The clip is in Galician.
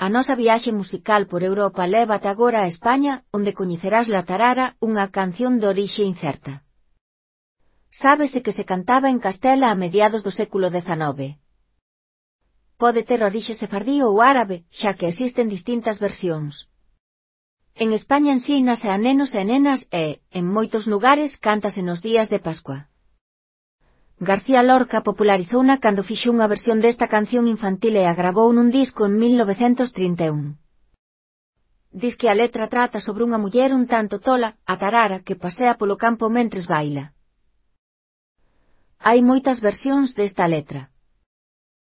A nosa viaxe musical por Europa lévate agora a España, onde coñecerás La Tarara, unha canción de orixe incerta. Sábese que se cantaba en Castela a mediados do século XIX. Pode ter orixe sefardí ou árabe, xa que existen distintas versións. En España ensínase a nenos e nenas e, en moitos lugares, cántase nos días de Pascua. García Lorca popularizouna cando fixo unha versión desta canción infantil e a gravou nun disco en 1931. Diz que a letra trata sobre unha muller un tanto tola, a tarara, que pasea polo campo mentres baila. Hai moitas versións desta letra.